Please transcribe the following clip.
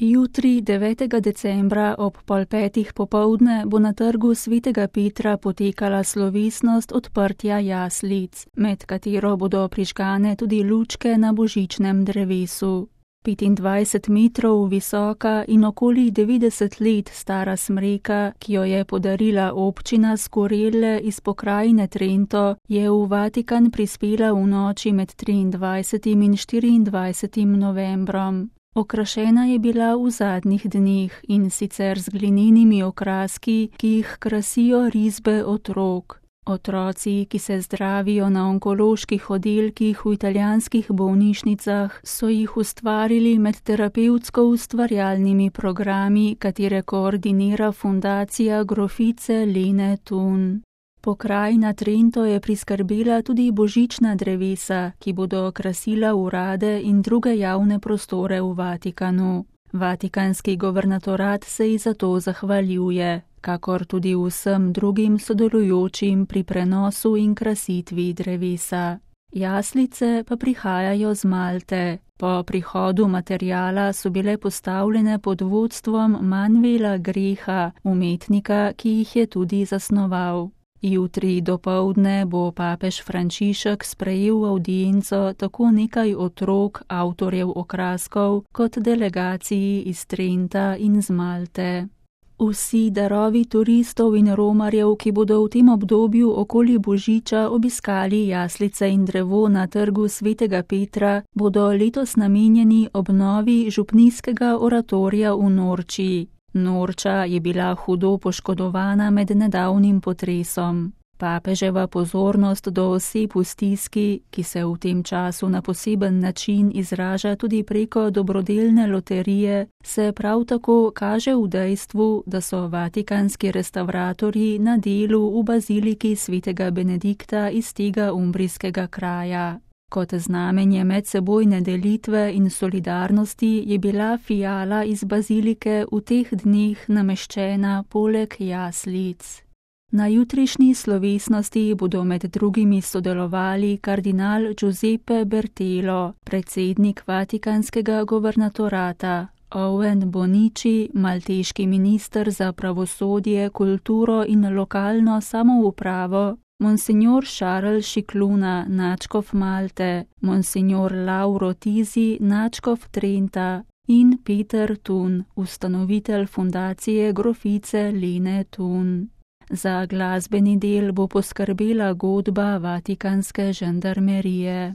Jutri, 9. decembra ob 4:30 popoldne bo na trgu Svetega Petra potekala slovesnost odprtja jaslic, med katero bodo prižgane tudi lučke na božičnem drevesu. 25 metrov visoka in okoli 90 let stara smreka, ki jo je podarila občina Skorelle iz pokrajine Trento, je v Vatikan prispela v noči med 23. in 24. novembrom. Okrašena je bila v zadnjih dneh, in sicer z glinenimi okraski, ki jih krasijo risbe otrok. Otroci, ki se zdravijo na onkoloških oddelkih v italijanskih bolnišnicah, so jih ustvarili med terapevtsko ustvarjalnimi programi, katere koordinira fundacija grofice Lene Thun. Pokrajina Trento je priskrbela tudi božična drevesa, ki bodo krasila urade in druge javne prostore v Vatikanu. Vatikanski governatorat se ji za to zahvaljuje, kakor tudi vsem drugim sodelujočim pri prenosu in krasitvi drevesa. Jaslice pa prihajajo z Malte. Po prihodu materiala so bile postavljene pod vodstvom Manuela Greha, umetnika, ki jih je tudi zasnoval. Jutri dopoldne bo papež Frančišek sprejel avdienco tako nekaj otrok, avtorjev okraskov, kot delegaciji iz Trenta in z Malte. Vsi darovi turistov in romarjev, ki bodo v tem obdobju okoli božiča obiskali jaslice in drevo na trgu Svetega Petra, bodo letos namenjeni obnovi župnijskega oratorija v Norči. Norča je bila hudo poškodovana med nedavnim potresom. Papeževa pozornost do oseb v stiski, ki se v tem času na poseben način izraža tudi preko dobrodelne loterije, se prav tako kaže v dejstvu, da so vatikanski restavratorji na delu v baziliki Svetega Benedikta iz tega umbrijskega kraja. Kot znamenje medsebojne delitve in solidarnosti je bila fijala iz bazilike v teh dneh nameščena poleg jaslic. Na jutrišnji slovesnosti bodo med drugimi sodelovali kardinal Giuseppe Bertelo, predsednik Vatikanskega governatorata, Owen Bonici, malteški minister za pravosodje, kulturo in lokalno samoupravo, Monsignor Charles Scicluna, nadškof Malte, Monsignor Lauro Tisi, nadškof Trenta in Peter Thun, ustanovitelj fundacije grofice Lene Thun. Za glasbeni del bo poskrbela godba vatikanske žandarmerije.